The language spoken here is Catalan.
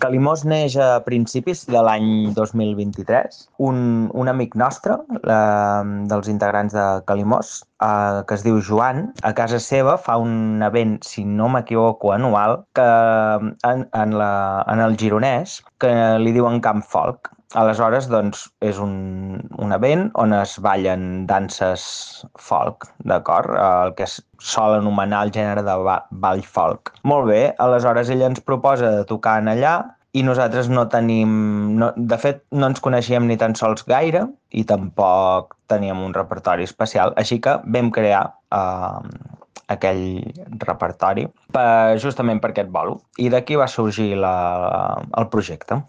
Calimós neix a principis de l'any 2023. Un amic nostre, dels integrants de Calimós, que es diu Joan, a casa seva fa un event, si no m'equivoco, anual, que en el Gironès, que li diuen Camp Folk. Aleshores, doncs, és un event on es ballen danses folk, d'acord? El que es sol anomenar el gènere de ball folk. Molt bé, aleshores ella ens proposa de tocar en allà i nosaltres no tenim... No, de fet, no ens coneixíem ni tan sols gaire i tampoc teníem un repertori especial, així que vam crear aquell repertori justament per aquest bolo. I d'aquí va sorgir el projecte.